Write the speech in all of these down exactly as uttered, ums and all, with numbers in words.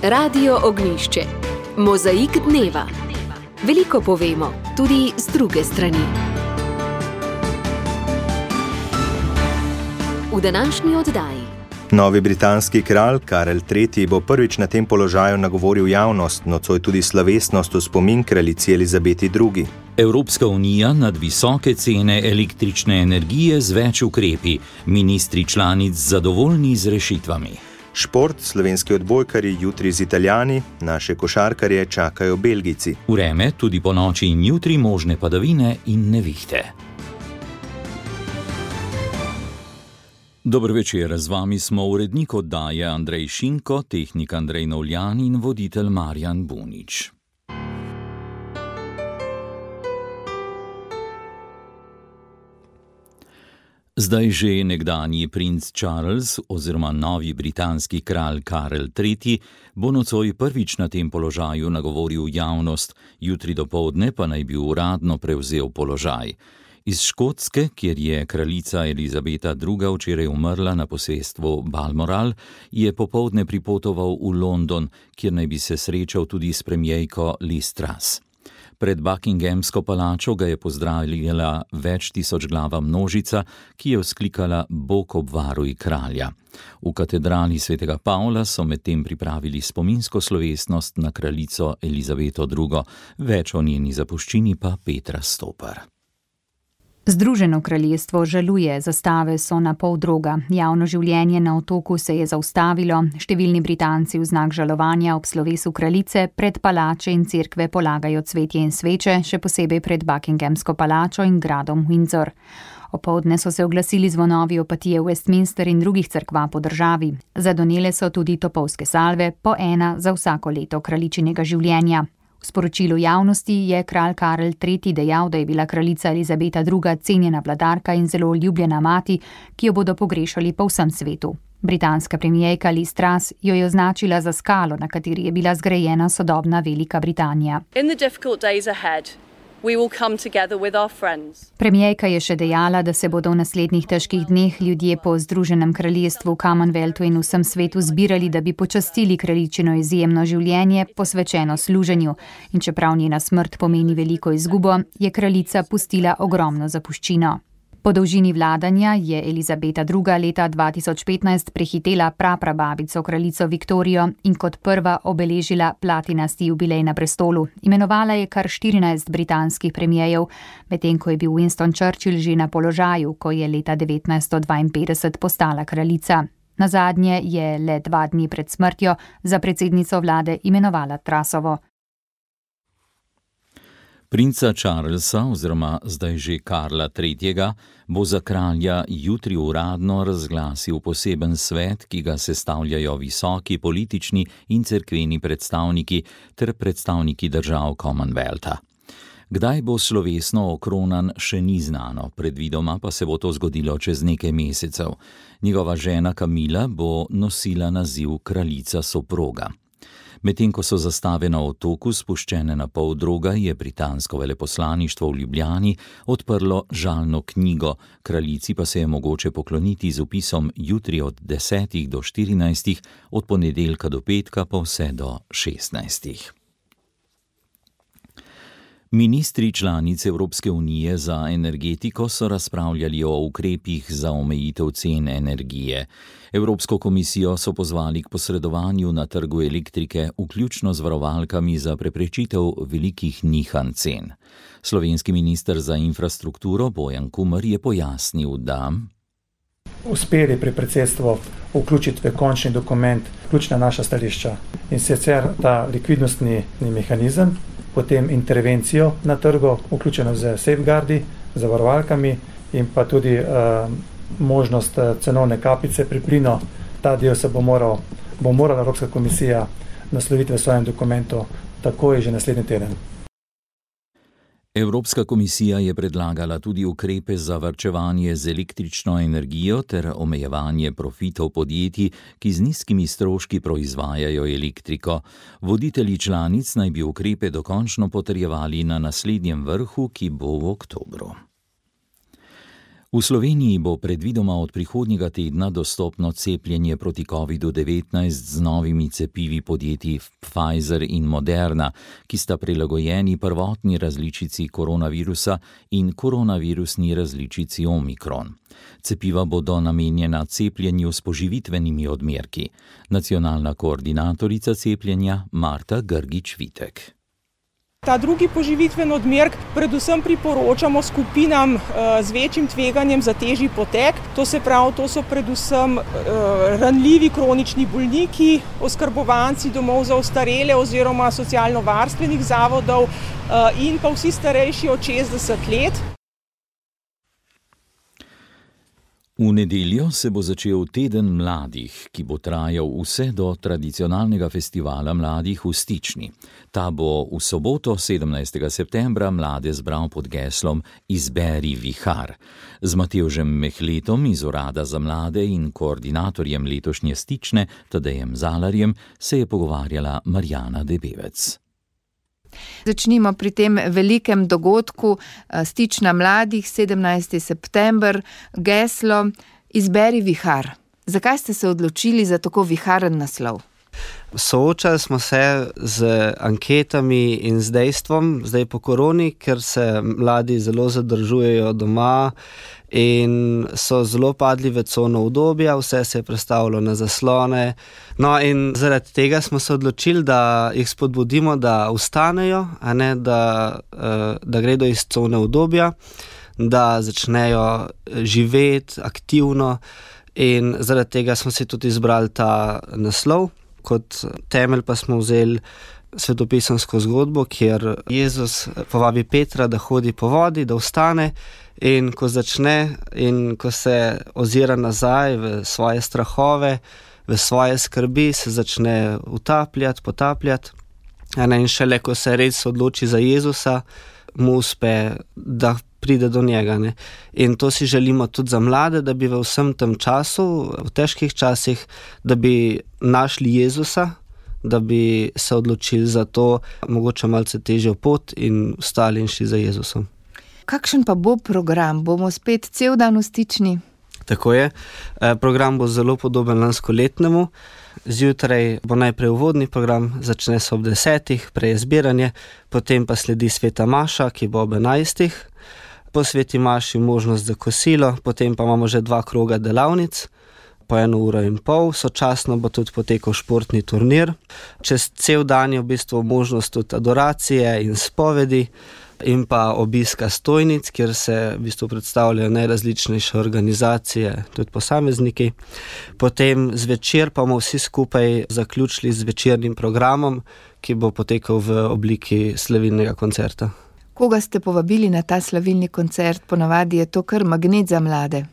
Radio Ognjišče. Mozaik dneva. Veliko povemo, tudi z druge strani. V današnji oddaji. Novi britanski kralj Karel tretji bo prvič na tem položaju nagovoril javnost, nocoj tudi slovesnost v spomin kraljici Elizabeti drugi. Evropska unija nad visoke cene električne energije z več ukrepi, ministri članic zadovoljni z rešitvami. Šport, slovenski odbojkarji jutri z Italijani, naše košarkarje čakajo Belgijci. Vreme, tudi po noči in jutri možne padavine in nevihte. Dober večer, z vami smo urednik oddaje Andrej Šinko, tehnik Andrej Novljan in voditelj Marjan Bunič. Zdaj že nekdanji princ Charles oziroma novi britanski kralj Karel tretji bo nocoj prvič na tem položaju nagovoril javnost, jutri dopoldne pa naj bi uradno prevzel položaj. Iz Škotske, kjer je kraljica Elizabeta druga včeraj umrla na posestvu Balmoral, je popoldne pripotoval v London, kjer naj bi se srečal tudi s premierko Liz Truss. Pred Buckinghamsko palačo ga je pozdravila več tisočglava množica, ki je vzklikala Bog obvaruj kralja. V katedrali svetega Pavla so medtem pripravili spominsko slovesnost na kraljico Elizabeto drugo, več o njeni zapuščini pa Petra Stopar. Združeno kraljestvo žaluje, zastave so na pol droga. Javno življenje na otoku se je zaustavilo, številni Britanci v znak žalovanja ob slovesu kraljice pred palače in cerkve polagajo cvetje in sveče, še posebej pred Buckinghamsko palačo in gradom Windsor. Opoldne so se oglasili zvonovi opatije v Westminster in drugih cerkva po državi. Zadonele so tudi topovske salve, po ena za vsako leto kraljičinega življenja. V sporočilu javnosti je kralj Karel tretji dejal, da je bila kraljica Elizabeta druga cenjena vladarka in zelo ljubljena mati, ki jo bodo pogrešali po vsem svetu. Britanska premierka Liz Truss jo je označila za skalo, na kateri je bila zgrajena sodobna Velika Britanija. Premierka je še dejala, da se bodo v naslednjih težkih dneh ljudje po Združenem kraljestvu, Commonwealthu in vsem svetu zbirali, da bi počastili kraljičino izjemno življenje, posvečeno služenju. In čeprav njena smrt pomeni veliko izgubo, je kraljica pustila ogromno zapuščino. Po dolžini vladanja je Elizabeta druga leta dva tisoč petnajst prehitela praprababico kraljico Viktorijo in kot prva obeležila platinasti jubilej na prestolu. Imenovala je kar štirinajst britanskih premierjev, medtem ko je bil Winston Churchill že na položaju, ko je leta devetnajststo dvainpetdeset postala kraljica. Nazadnje je le dva dni pred smrtjo za predsednico vlade imenovala Trussovo. Princa Charlesa oziroma zdaj že Karla tretjega bo za kralja jutri uradno razglasil poseben svet, ki ga sestavljajo visoki politični in cerkveni predstavniki ter predstavniki držav Commonwealtha. Kdaj bo slovesno okronan, še ni znano, predvidoma pa se bo to zgodilo čez nekaj mesecev. Njegova žena Kamila bo nosila naziv kraljica soproga. Medtem ko so zastave na otoku spuščene na pol droga, je britansko veleposlaništvo v Ljubljani odprlo žalno knjigo, kraljici pa se je mogoče pokloniti z vpisom jutri od desetih do štirinajstih, od ponedeljka do petka pa vse do šestnajstih. Ministri članic Evropske unije za energetiko so razpravljali o ukrepih za omejitev cen energije. Evropsko komisijo so pozvali k posredovanju na trgu elektrike, vključno z varovalkami za preprečitev velikih nihanj cen. Slovenski minister za infrastrukturo Bojan Kumer je pojasnil, da uspeli pri predsedstvu vključiti v končni dokument ključna naša stališča in sicer ta likvidnostni mehanizem, potem intervencijo na trgu, vključeno z safeguardi, z varovalkami in pa tudi uh, možnost cenovne kapice pri plinu. Ta del se bo, moral, bo morala Evropska komisija nasloviti v svojem dokumentu takoj že naslednji teden. Evropska komisija je predlagala tudi ukrepe za varčevanje z električno energijo ter omejevanje profitov podjetij, ki z nizkimi stroški proizvajajo elektriko. Voditelji članic naj bi ukrepe dokončno potrjevali na naslednjem vrhu, ki bo v oktobru. V Sloveniji bo predvidoma od prihodnjega tedna dostopno cepljenje proti kovidu devetnajst z novimi cepivi podjetij Pfizer in Moderna, ki sta prilagojeni prvotni različici koronavirusa in koronavirusni različici Omikron. Cepiva bodo namenjena cepljenju s poživitvenimi odmerki. Nacionalna koordinatorica cepljenja Marta Grgič-Vitek. Ta drugi poživitven odmerek predvsem priporočamo skupinam z večjim tveganjem za težji potek. To se pravi, to so predvsem ranljivi kronični bolniki, oskrbovanci domov za ostarele oziroma socialno-varstvenih zavodov in pa vsi starejši od šestdeset let. V nedeljo se bo začel Teden mladih, ki bo trajal vse do tradicionalnega festivala mladih v Stični. Ta bo v soboto, sedemnajstega septembra, mlade zbral pod geslom Izberi vihar. Z Matevžem Mehletom iz Urada za mlade in koordinatorjem letošnje Stične, Tadejem Zalarjem, se je pogovarjala Marjana Debevec. Začnimo pri tem velikem dogodku Stična mladih, sedemnajstega september, geslo Izberi vihar. Zakaj ste se odločili za tako viharen naslov? Soočali smo se z anketami in z dejstvom, zdaj po koroni, ker se mladi zelo zadržujejo doma in so zelo padli v cono udobja, vse se je prestavilo na zaslone. No in zaradi tega smo se odločili, da jih spodbudimo, da vstanejo, a ne da, da gredo iz cone udobja, da začnejo živeti aktivno in zaradi tega smo si tudi izbrali ta naslov. Kot temelj pa smo vzeli svetopisemsko zgodbo, kjer Jezus povabi Petra, da hodi po vodi, da vstane in ko začne in ko se ozira nazaj v svoje strahove, v svoje skrbi, se začne utapljati, potapljati. In šele, ko se res odloči za Jezusa, mu uspe, da pride do njega. Ne? In to si želimo tudi za mlade, da bi v vsem tem času, v težkih časih, da bi našli Jezusa, da bi se odločili za to, mogoče malce težjo pot in vstali in šli za Jezusom. Kakšen pa bo program? Bomo spet cel dan v Stični? Tako je. Program bo zelo podoben lanskoletnemu. Zjutraj bo najprej uvodni program, začne se ob desetih, prej je zbiranje, potem pa sledi sveta maša, ki bo ob enajstih. Po sveti maši možnost za kosilo, potem pa imamo že dva kroga delavnic, po eno uro in pol, sočasno bo tudi potekal športni turnir. Čez cel dan je v bistvu možnost tudi adoracije in spovedi in pa obiska stojnic, kjer se v bistvu predstavljajo najrazličnejše organizacije, tudi posamezniki. Potem zvečer pa bomo vsi skupaj zaključili z večernim programom, ki bo potekal v obliki slavilnega koncerta. Koga ste povabili na ta slavilni koncert? Ponavadi je to kar magnet za mlade.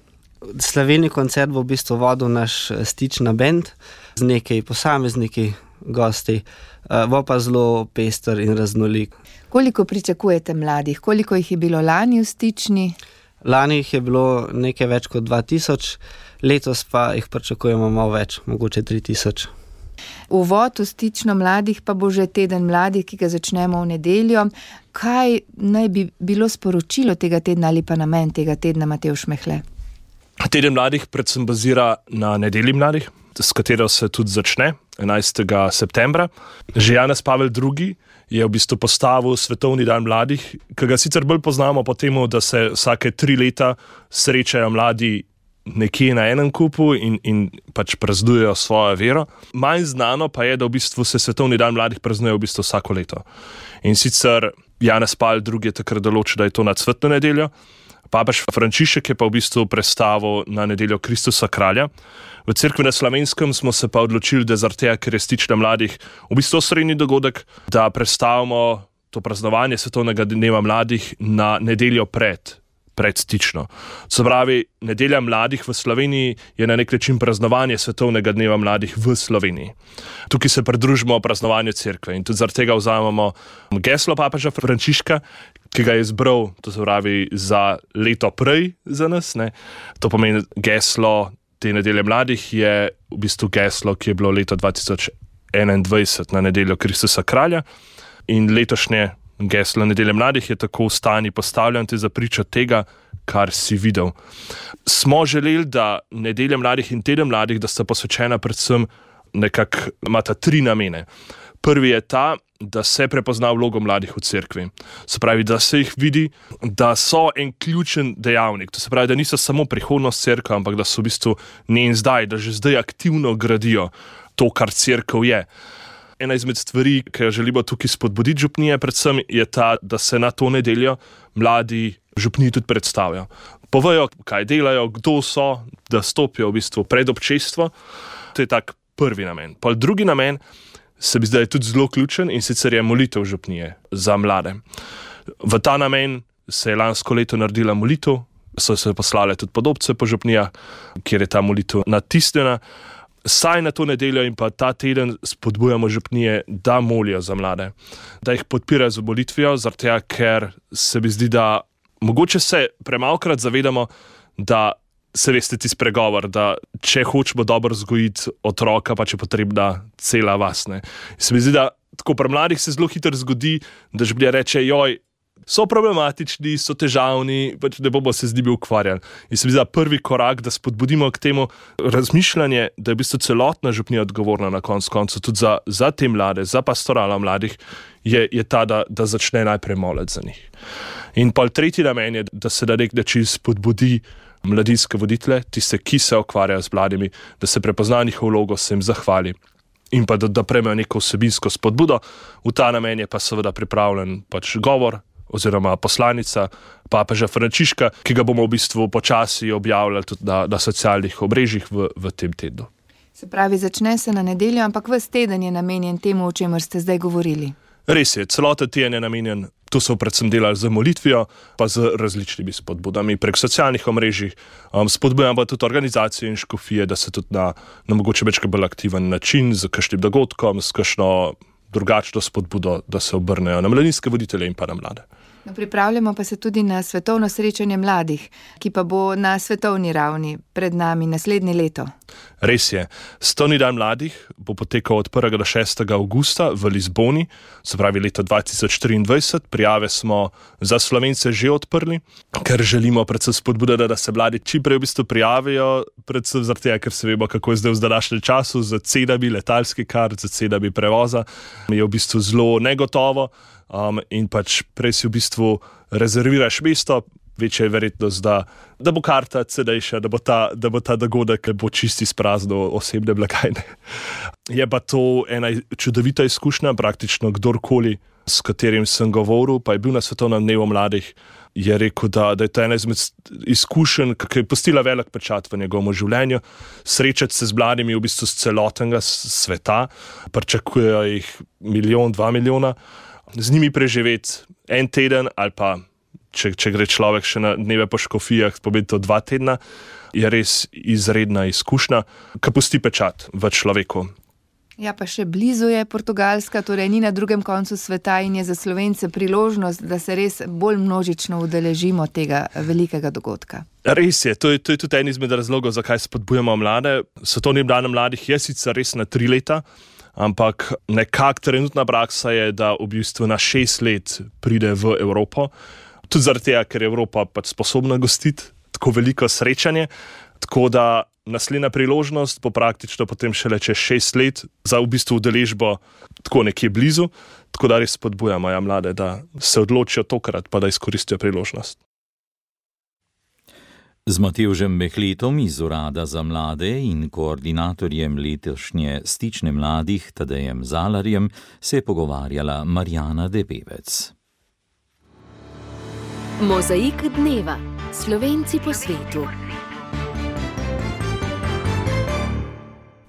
Slavilni koncert bo v bistvu vodil naš Stična bend z nekaj posamezniki, gosti, bo pa zelo pester in raznolik. Koliko pričakujete mladih? Koliko jih je bilo lani v Stični? Lani jih je bilo nekaj več kot dva tisoč, letos pa jih pričakujemo malo več, mogoče tri tisoč. Uvod v Stično mladih pa bo že Teden mladih, ki ga začnemo v nedeljo. Kaj naj bi bilo sporočilo tega tedna ali pa namen tega tedna, Matevž Mehle? Teden mladih predvsem bazira na nedelji mladih, s katero se tudi začne enajstega septembra. Že Janez Pavel drugi je v bistvu postavil Svetovni dan mladih, ki ga sicer bolj poznamo po temu, da se vsake tri leta srečajo mladi nekje na enem kupu in, in pač praznujejo svojo vero. Manj znano pa je, da v bistvu se Svetovni dan mladih praznuje v bistvu vsako leto. In sicer Janez Pavel drugi je takrat določil, da je to na cvetno nedeljo. Papež Frančišek je pa v bistvu prestavil na nedeljo Kristusa kralja. V cerkvi na Slovenskem smo se pa odločili, da zaradi tega, ker je Stična mladih v bistvu osrednji dogodek, da prestavimo to praznovanje Svetovnega dneva mladih na nedeljo pred, pred Stično. Se pravi, nedelja mladih v Sloveniji je na nek način praznovanje Svetovnega dneva mladih v Sloveniji. Tukaj se pridružimo praznovanju cerkve in tudi zaradi tega vzamemo geslo papeža Frančiška, ki ga je izbral, to se pravi, za leto prej za nas. Ne. To pomeni, geslo te nedelje mladih je v bistvu geslo, ki je bilo leto dva tisoč enaindvajset na nedeljo Kristusa kralja. In letošnje geslo nedelje mladih je tako v stani postavljeno za pričo tega, kar si videl. Smo želeli, da nedelja mladih in teden mladih, da sta posvečena predvsem nekako, imata tri namene. Prvi je ta, da se prepozna vlogo mladih v cerkvi. Se pravi, da se jih vidi, da so en ključen dejavnik. To se pravi, da niso samo prihodnost cerkve, ampak da so v bistvu njen zdaj, da že zdaj aktivno gradijo to, kar cerkev je. Ena izmed stvari, ki jo želimo tukaj spodbuditi župnije, predvsem je ta, da se na to nedeljo mladi župniji tudi predstavijo. Povejo, kaj delajo, kdo so, da stopijo v bistvu pred občestvo. To je tak prvi namen. Pa drugi namen se bi zdaj tudi zelo ključen in sicer je molitev župnije za mlade. V ta namen se je lansko leto naredila molitev, so se poslale tudi podobce po župnijah, kjer je ta molitev natisnjena. Saj na to nedeljo in pa ta teden spodbujamo župnije, da molijo za mlade, da jih podpirajo z molitvijo, zaradi tega, ker se mi zdi, da mogoče se premalokrat zavedamo, da se veste tisti pregovor, da če hočemo dobro vzgojiti otroka, pa če potrebna cela vas. Ne. Se mi zdi, da tako pri mladih se zelo hitro zgodi, da župnija reče, joj, so problematični, so težavni, pač ne bomo se z njimi ukvarjali. In se mi zdi, da prvi korak, da spodbudimo k temu razmišljanje, da je v bistvu celotna župnija odgovorna na koncu koncu tudi za, za te mlade, za pastorala mladih, je, je ta, da, da začne najprej moliti za njih. In pa tretji namen je, da se na nek način spodbudi mladinske voditelje, tiste, ki se ukvarjajo z mladimi, da se prepozna njihovo vlogo, se jim zahvali in pa da, da prejmejo neko vsebinsko spodbudo. V ta namen je pa seveda pripravljen pač govor oziroma poslanica papeža Frančiška, ki ga bomo v bistvu počasi objavljali tudi na, na socialnih omrežjih v, v tem tednu. Se pravi, začne se na nedeljo, ampak ves teden je namenjen temu, o čemer ste zdaj govorili. Res je, celoten teden je namenjen, to so predvsem delali z molitvijo, pa z različnimi spodbudami prek socialnih omrežij. Um, spodbujamo pa tudi organizacije in škofije, da se tudi na, na mogoče več bolj aktiven način, z kakšnim dogodkom, s kakšno drugačno spodbudo, da se obrnejo na mladinske voditelje in pa na mlade. No, pripravljamo pa se tudi na svetovno srečanje mladih, ki pa bo na svetovni ravni pred nami naslednje leto. Res je. Svetovni dan mladih bo potekal od prvega do šestega avgusta v Lizboni, se pravi leta dva tisoč triindvajset. Prijave smo za Slovence že odprli, ker želimo predvsem spodbuditi, da se mladi čim prej v bistvu prijavijo, predvsem zaradi tega, ker se vemo, kako je zdaj v današnjem času z cenami letalskih kart, z cenami prevoza. Je v bistvu zelo negotovo. Um, in pač prej si v bistvu rezerviraš mesto, večja je verjetnost, da, da bo karta cenejša, da bo ta, da bo ta dogodek bo čisti sprazno osebne blagajne. Je pa to ena čudovita izkušnja, praktično kdorkoli, s katerim sem govoril, pa je bil na svetovnem dnevu mladih, je rekel, da, da je to ena izmed izkušenj, ki je pustila velik pečat v njegovem življenju. Srečati se z mladimi v bistvu z celotnega sveta, pričakujejo jih milijon, dva milijona, z njimi preživeti en teden ali pa, če, če gre človek še na dneve po škofijah, pomeni to dva tedna, je res izredna izkušnja, ki pusti pečat v človeku. Ja, pa še blizu je Portugalska, torej ni na drugem koncu sveta in je za Slovence priložnost, da se res bolj množično udeležimo tega velikega dogodka. Res je, to je, to je tudi en izmed razlogov, zakaj spodbujamo mlade. Svetovnim danom mladih je sicer res na tri leta, ampak nekak trenutna praksa je, da v bistvu na šest let pride v Evropo. Tudi zaradi tega, ker je Evropa pač sposobna gostiti tako veliko srečanje, tako da naslednja priložnost bo praktično potem šele čez šest let za v bistvu udeležbo tako nekje blizu, tako da res spodbujamo ja, mlade, da se odločijo tokrat, pa da izkoristijo priložnost. Z Matevžem Mehletom iz Urada za mlade in koordinatorjem letošnje Stične mladih Tadejem Zalarjem se je pogovarjala Marjana Debevec. Mozaik dneva. Slovenci po svetu.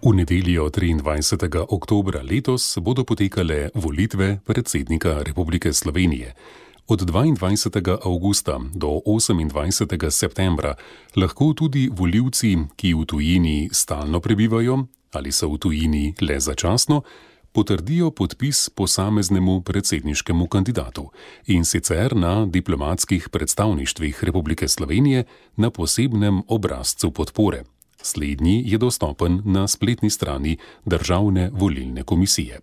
V nedeljo triindvajsetega oktobra letos bodo potekale volitve predsednika Republike Slovenije. Od dvaindvajsetega avgusta do osemindvajsetega septembra lahko tudi volivci, ki v tujini stalno prebivajo ali so v tujini le začasno, potrdijo podpis posameznemu predsedniškemu kandidatu, in sicer na diplomatskih predstavništvih Republike Slovenije na posebnem obrazcu podpore. Slednji je dostopen na spletni strani Državne volilne komisije.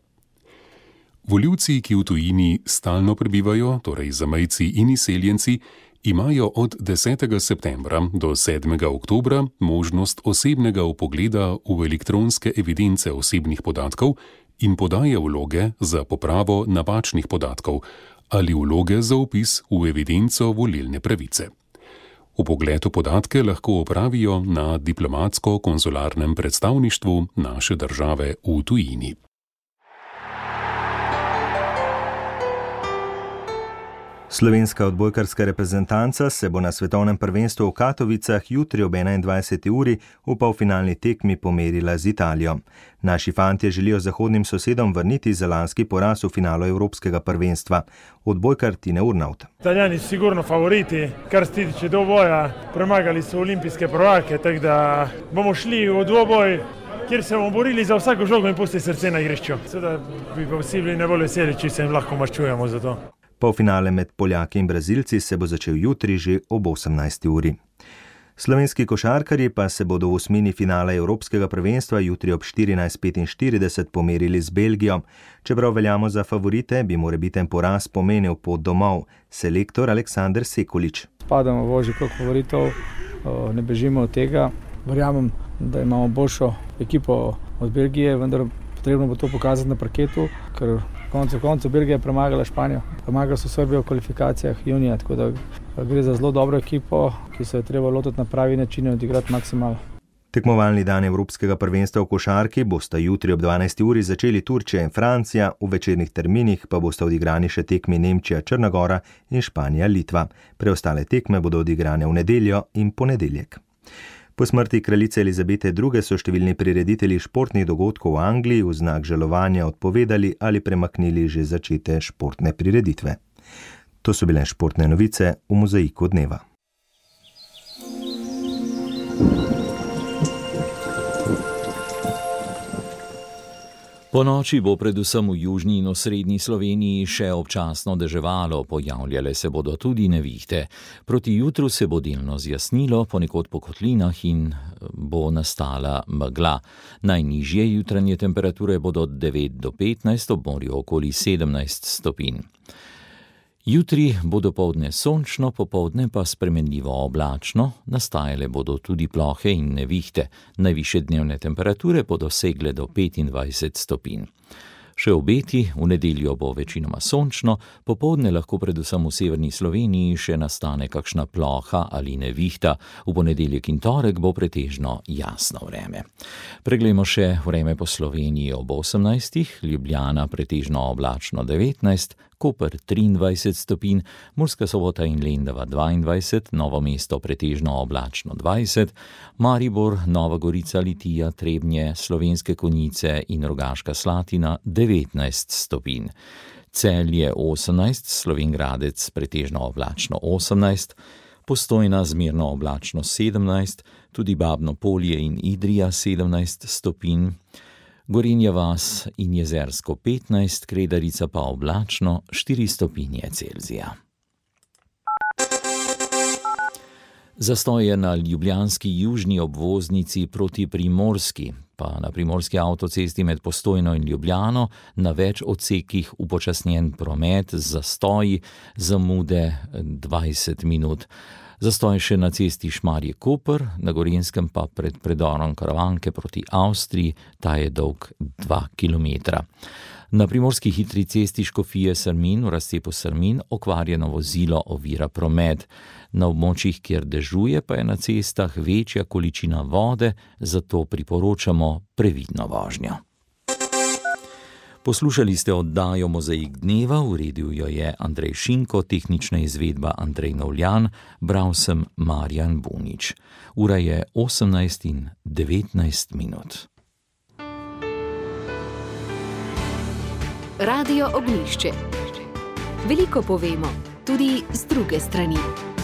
Volivci, ki v tujini stalno prebivajo, torej zamejci in izseljenci, imajo od desetega septembra do sedmega oktobra možnost osebnega vpogleda v elektronske evidence osebnih podatkov in podaje vloge za popravo napačnih podatkov ali vloge za vpis v evidenco volilne pravice. Vpogled v podatke lahko opravijo na diplomatsko-konzularnem predstavništvu naše države v tujini. Slovenska odbojkarska reprezentanca se bo na svetovnem prvenstvu v Katovicah jutri ob enaindvajseti uri v polfinalni tekmi pomerila z Italijo. Naši fantje želijo zahodnim sosedom vrniti zalanski poraz v finalu evropskega prvenstva. Odbojkar Tine Urnauth. Italijani su sigurno favoriti, kar se tiče dvoboja, premagali su olimpijske prvake, tako da bomo šli v dvoboj, kjer se bomo borili za vsako žogo in pustili srce na igrišču. Seveda bi pa vsi bili najbolj veseli, če se jim lahko maščujemo za to. Polfinale med Poljaki in Brazilci se bo začel jutri že ob osemnajsti uri. Slovenski košarkarji pa se bodo v osmini finala evropskega prvenstva jutri ob štirinajst petinštirideset pomerili z Belgijo. Čeprav veljamo za favorite, bi morebiten poraz pomenil pot domov. Selektor Aleksander Sekulič. Spadamo v ožji krog favoritov, ne bežimo od tega. Verjamem, da imamo boljšo ekipo od Belgije, vendar potrebno bo to pokazati na parketu, ker koncu koncu Belgija je premagala Španijo. Premagala so Srbijo v kvalifikacijah junija, tako da gre za zelo dobro ekipo, ki se je treba lotiti na pravi način in odigrati maksimalno. Tekmovalni dan evropskega prvenstva v košarki bosta jutri ob dvanajsti uri začeli Turčija in Francija, v večernih terminih pa bosta odigrani še tekmi Nemčija, Črna Gora in Španija, Litva. Preostale tekme bodo odigrane v nedeljo in ponedeljek. Po smrti kraljice Elizabete druge. so številni prireditelji športnih dogodkov v Angliji v znak žalovanja odpovedali ali premaknili že začete športne prireditve. To so bile športne novice v Mozaiku dneva. Po noči bo predvsem v južni in osrednji Sloveniji še občasno deževalo, pojavljale se bodo tudi nevihte. Proti jutru se bo delno zjasnilo, ponekod po kotlinah in bo nastala megla. Najnižje jutranje temperature bodo od devet do petnajst, ob morju okoli sedemnajst stopinj. Jutri bo dopoldne sončno, popoldne pa spremenljivo oblačno, nastajale bodo tudi plohe in nevihte. Najvišje dnevne temperature bodo segle do petindvajset stopinj. Še obeti, v nedeljo bo večinoma sončno, popoldne lahko predvsem v severni Sloveniji še nastane kakšna ploha ali nevihta, v ponedeljek in torek bo pretežno jasno vreme. Preglejmo še vreme po Sloveniji ob osemnajstih, Ljubljana pretežno oblačno devetnajst, Koper triindvajset stopinj, Murska Sobota in Lendava dvaindvajset, Novo mesto pretežno oblačno dvajset, Maribor, Nova Gorica, Litija, Trebnje, Slovenske Konjice in Rogaška Slatina devetnajst stopinj. Celje osemnajst, Slovenj Gradec pretežno oblačno osemnajst, Postojna zmerno oblačno sedemnajst, tudi Babno Polje in Idrija sedemnajst stopinj, Gorenja vas in Jezersko petnajst, Kredarica pa oblačno štiri stopinje Celzija. Zastoje na ljubljanski južni obvoznici proti Primorski, pa na primorski avtocesti med Postojno in Ljubljano, na več odsekih upočasnjen promet z zastoji, zamude dvajset minut. Zastoj še na cesti Šmarje-Koper, na Gorenjskem pa pred predorom Karavanke proti Avstriji, ta je dolg dva kilometra. Na primorski hitri cesti Škofije-Srmin v razcepu Srmin okvarjeno vozilo ovira promet. Na območjih, kjer dežuje, pa je na cestah večja količina vode, zato priporočamo previdno vožnjo. Poslušali ste oddajo Mozaik dneva, uredil jo je Andrej Šinko, tehnična izvedba Andrej Novljan, bral sem Marjan Bunič. Ura je osemnajst in devetnajst minut. Radio Ognjišče. Veliko povemo, tudi z druge strani.